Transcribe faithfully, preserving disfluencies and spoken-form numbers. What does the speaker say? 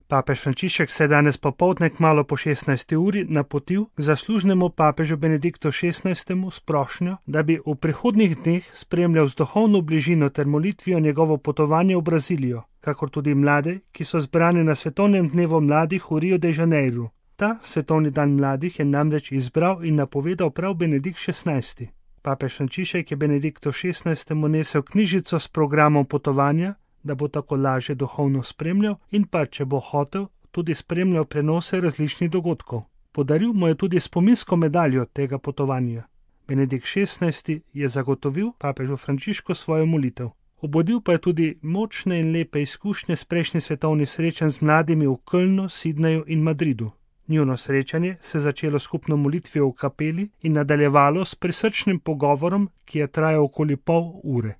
Papež Frančišek se je danes popoldne kmalu po šestnajsti uri napotil k zaslužnemu papežu Benediktu šestnajstemu s prošnjo, da bi v prihodnjih dneh spremljal z duhovno bližino ter molitvijo njegovo potovanje v Brazilijo, kakor tudi mlade, ki so zbrani na svetovnem dnevu mladih v Rio de Janeiru. Ta svetovni dan mladih je namreč izbral in napovedal prav Benedikt šestnajsti. Papež Frančišek je Benediktu šestnajstemu nesel knjižico s programom potovanja, da bo tako lažje duhovno spremljal in pa, če bo hotel, tudi spremljal prenose različnih dogodkov. Podaril mu je tudi spominsko medaljo tega potovanja. Benedikt šestnajsti je zagotovil papežu Frančišku svojo molitev. Obudil pa je tudi močne in lepe izkušnje s prejšnjih svetovnih srečanj z mladimi v Kölnu, Sidneju in Madridu. Njuno srečanje se je začelo skupno molitvijo v kapeli in nadaljevalo s prisrčnim pogovorom, ki je trajal okoli pol ure.